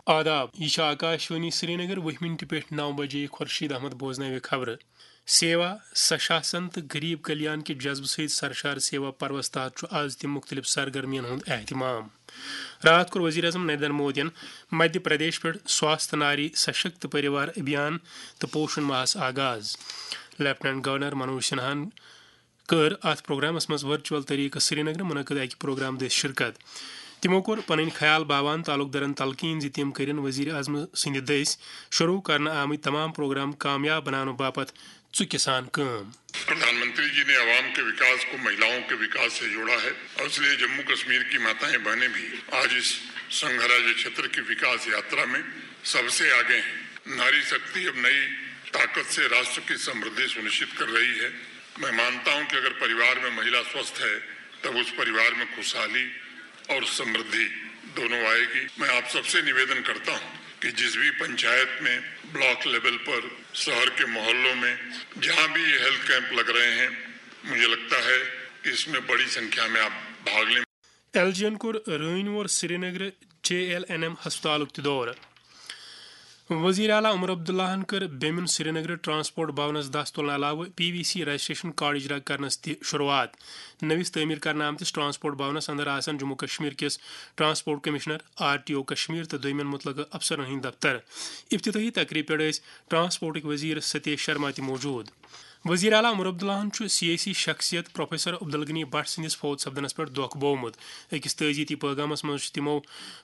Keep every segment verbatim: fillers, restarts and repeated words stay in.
آداب، یہِ چھِ آکاشوانی سرینگر۔ وُہہِ مِنٹہِ پٮ۪ٹھ نَو بجے۔ خورشید احمد بوزناوِ خبرٕ۔ سیوا، سشاسن تہٕ غریب کلیان کہِ جذبہٕ سۭتۍ سرشار سیوا پروس تحت چھُ آز تہِ مُختٔلِف سرگرمیَن ہُنٛد اہتمام۔ راتھ کوٚر وزیر اعظم نریندر مودیَن مدھیہ پردیش پٮ۪ٹھ سواستھ ناری سشکت پریوار ابھیان تہٕ پوشن ماہس آغاز۔ لیفٹیننٹ گورنر منوج سنہاہن کٔر اتھ پروگرامس منٛز ورچوئل طریقہٕ سرینگرٕ منعقد اکہِ پروگرام دٔسۍ شرکت۔ تِمو کوٚر پنٕنۍ خیال باوان تعلق دارن تلقین زِ تِم کٔرِن وزیر اعظم سٕنٛدِ دٔسۍ شروع کرنہٕ آمٕتۍ تمام پروگرام کامیاب بناونہٕ باپتھ ژُکہِ سان کٲم۔ प्रधानमंत्री जी ने आवाम के विकास को महिलाओं के विकास से जोड़ा है और इसलिए जम्मू कश्मीर की माताएं बहनें भी आज इस संघराज्य क्षेत्र की विकास यात्रा में सबसे आगे हैं। नारी शक्ति अब नई ताकत से राष्ट्र की समृद्धि सुनिश्चित कर रही है। मैं मानता हूं कि अगर परिवार में महिला स्वस्थ है, तब उस परिवार में खुशहाली और समृद्धि दोनों आएगी। मैं आप सबसे निवेदन करता हूं कि जिस भी पंचायत में, ब्लॉक लेवल पर, शहर के मोहल्लों में जहां भी ये हेल्थ कैंप लग रहे हैं, मुझे लगता है कि इसमें बड़ी संख्या में आप भाग लें। ایل جی ین کوٚر رٲنۍ وور سرینگرٕ جے ایل این ایم ہسپتالُک تہِ دورٕ۔ وزیر اعلیٰ عمر عبداللہن کٔر بیمِن سرینگرٕ ٹرانسپورٹ بھونس دس تُلنہٕ علاوٕ P V C registration card اجرا کرنس تہِ شروعات۔ نٔوِس تعمیٖر کرنہٕ آمتِس ٹرانسپورٹ بھونس اندر آسن جموں کشمیر کِس transport commissioner, R T O Kashmir تہٕ دوٚیمٮ۪ن مُتعلقہٕ افسرن ہٕنٛدۍ دفتر۔ افتتاحی تقریبہِ پٮ۪ٹھ ٲسۍ ٹرانسپورٹٕکۍ وزیر ستیش شرما تہِ موجود۔ وزیر اعلیٰ عمر عبداللہن چھُ سیٲسی شخصیت پروفیسر عبدالغنی بٹ سٕنٛدِس فوت سپدنس پٮ۪ٹھ دۄکھ بوومُت۔ أکِس تعزیتی پٲغامس منٛز چھِ تِمو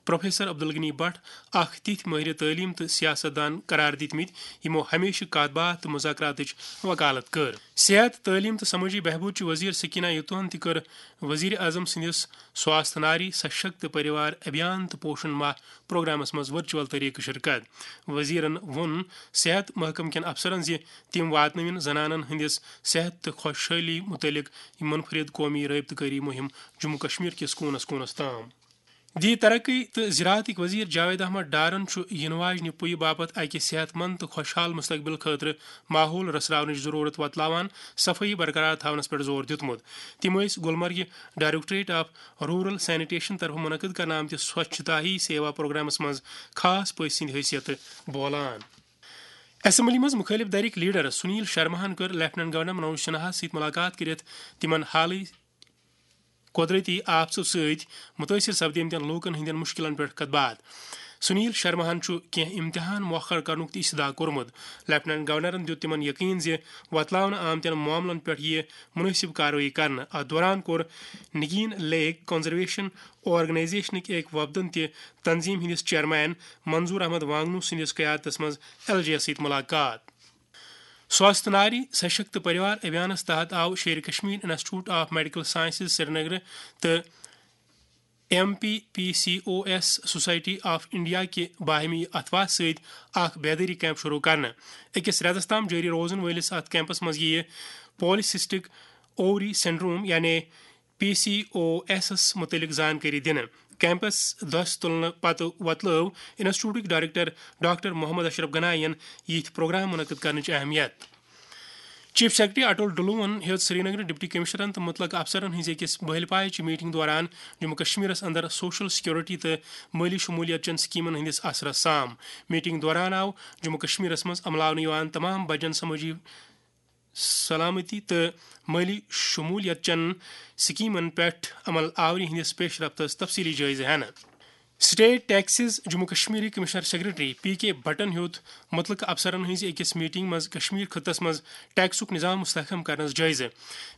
پروفیسر عبدالغنی بٹ اکھ تِتھۍ مٲہرِ تعلیٖم تہٕ سیاست دان قرار دِتمٕتۍ، یِمو ہمیشہٕ کتھ باتھ تہٕ مذاکراتٕچ وکالت کٔر۔ صحت، تعلیٖم تہٕ سمٲجی بہبود چہِ وزیر سکینہ یوتون تہِ کٔر وزیر اعظم سٕنٛدِس سواستھ ناری سشکت پریوار ابھیان تہٕ پوشن ماہ پروگرامس منٛز ورچوئل طریقہٕ شرکت۔ وزیرن ووٚن صحت محکمہٕ کٮ۪ن افسرن زِ تِم واتنٲوِن زنانن ہٕنٛدِس صحت تہٕ خۄشحٲلی مُتعلق یہِ منفرد قومی رٲبطہٕ کٲری مُہِم جموں کشمیر کِس کوٗنس کوٗنس تام۔ دی ترقی تہٕ زراعتٕکۍ وزیر جاوید احمد ڈارن چھُ یِنہٕ واجنہِ پُیہِ باپتھ اکہِ صحت مند تہٕ خۄشحال مستقبل خٲطرٕ ماحول رژھراونٕچ ضروٗرت وۄتلاوان صفٲیی برقرار تھاونس پٮ۪ٹھ زور دیُتمُت۔ تِم ٲسۍ گلمرگہِ ڈائریکٹوریٹ آف رورل سینیٹیشن طرفہٕ منعقد کرنہٕ آمتِس سوچھتا ہی سیوا پروگرامس منٛز خاص پٔژھۍ سٕنٛدِ حیثیتہٕ بولان۔ اسمبلی منٛز مُخٲلف دھرٕکۍ لیڈر سنیل شرماہن کٔر لیفٹیننٹ گورنر منوج سنہاہس سۭتۍ مُلاقات کٔرِتھ تِمن حالٕے قۄدرٔتی آفژو سۭتۍ مُتٲثِر سپدیمتٮ۪ن لوٗکن ہٕنٛدٮ۪ن مُشکِلن پٮ۪ٹھ کتھ باتھ۔ سنیل شرماہن چھُ کینٛہہ امتحان مۄخر کرنُک تہِ استدعا کوٚرمُت۔ لیفٹیننٹ گورنرن دیُت تِمن یقین زِ وۄتلاونہٕ آمتٮ۪ن معاملن پٮ۪ٹھ یِیہِ مُنٲسِب کاروٲیی کرنہٕ۔ اتھ دوران کوٚر نگین لیک کنزرویشن آرگنائزیشنٕکۍ أکۍ وفدن تہِ تنظیم ہٕنٛدِس چیئرمین منظور احمد وانگنو سٕنٛدِس قیادتس منٛز ایل جی یس سۭتۍ مُلاقات۔ سواستھ ناری سشکت پریوار ابھیانس تحت آو Sher Kashmir institute of medical sciences Srinagar تہٕ M P P C O S society of India کہِ باہمی اتھواہ سۭتۍ اکھ بیدٲری کیمپ شروع کرنہٕ۔ أکِس رٮ۪تس تام جٲری روزن وٲلِس اتھ کیمپس منٛز یِیہِ پالیسسٹک اووری سنڈروم یعنی پی سی او ایسس مُتعلق زانکٲری دِنہٕ۔ کیمپس دۄس تُلنہٕ پتہٕ وۄتلٲو انسٹیٹیوٹٕکۍ ڈائریکٹر ڈاکٹر محمد اشرف گناین یِتھۍ پروگرام منعقد کرنٕچ اہمیت۔ چیف سیکرٹری اٹل ڈلوہن ہیوٚت سرینگرٕ ڈپٹی کمشنرن تہٕ متعلقہٕ افسرن ہٕنٛزِ أکِس بہلہِ پایہِ چہِ میٹنگ دوران جموں کشمیرس اندر سوشل سیکورٹی تہٕ مٲلی شمولیت چٮ۪ن سکیمن ہٕنٛدِس اثرس سام۔ میٹنگ دوران آو جموں کشمیرس منٛز عملاونہٕ یِوان تمام بجن سمٲجی سلامتی تہٕ مٲلی شمولیت چٮ۪ن سکیمن پٮ۪ٹھ عمل آوری ہٕنٛدِس پیش رفتس تفصیلی جٲیزٕ ہٮ۪نہٕ۔ سٹیٹ ٹیکسز جموں کشمیرٕکۍ کمشنر سیکرٹری پی کے بھٹن ہیوٚت متعلقہٕ افسرن ہٕنٛزِ أکِس میٹنگ منٛز کشمیر خطس منٛز ٹیکسُک نظام مستحکم کرنس جٲیزٕ۔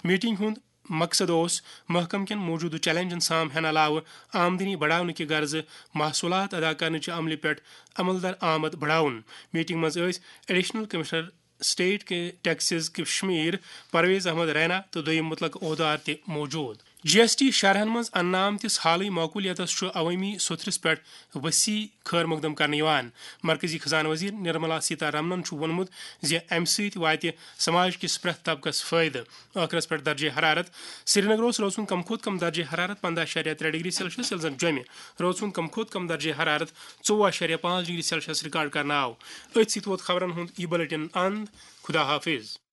میٹنگ ہُنٛد مقصد اوس محکمہٕ کٮ۪ن موجودٕ چیلنجن سام ہٮ۪نہٕ علاوٕ آمدنی بڑاونہٕ کہِ غرضہٕ محصولات ادا کرنہٕ چہِ عملہِ پٮ۪ٹھ عمل در آمد بڑاوُن۔ میٹنگ منٛز ٲسۍ ایڈیشنل کمشنر سٹیٹ کے ٹیکسز کشمیر پرویز احمد رینا تہٕ دوٚیِم مُتعلقہٕ عہدار تہِ موجود۔ جی ایس ٹی شرحن منٛز اننہٕ آمتِس حالٕے معقولیتس چھُ عوٲمی سوٚتھرِس پٮ۪ٹھ وسیع خٲر مقدم کرنہٕ یِوان۔ مرکزی خزانہٕ وزیر نرملا سیتا رمنن چھُ ووٚنمُت زِ امہِ سۭتۍ واتہِ سماج کِس پرٛٮ۪تھ طبقس فٲیدٕ۔ ٲخرس پٮ۪ٹھ درجے حرارت۔ سرینگر اوس رٲژ ہُنٛد کم کھۄتہٕ کم درجے حرارت پنٛداہ اعشاریہ ترٛےٚ ڈگری سیلسیس، ییٚلہِ زن جوٚمہِ رٲژ ہُنٛد کم کھۄتہٕ کم درجے حرارت ژوٚوُہ اعشاریہ پانٛژھ ڈگری سیلسیس ریکارڈ کرنہٕ آو۔ أتھۍ سۭتۍ ووت خبرن ہُنٛد یہِ بلیٹن اند۔ خدا حافظ۔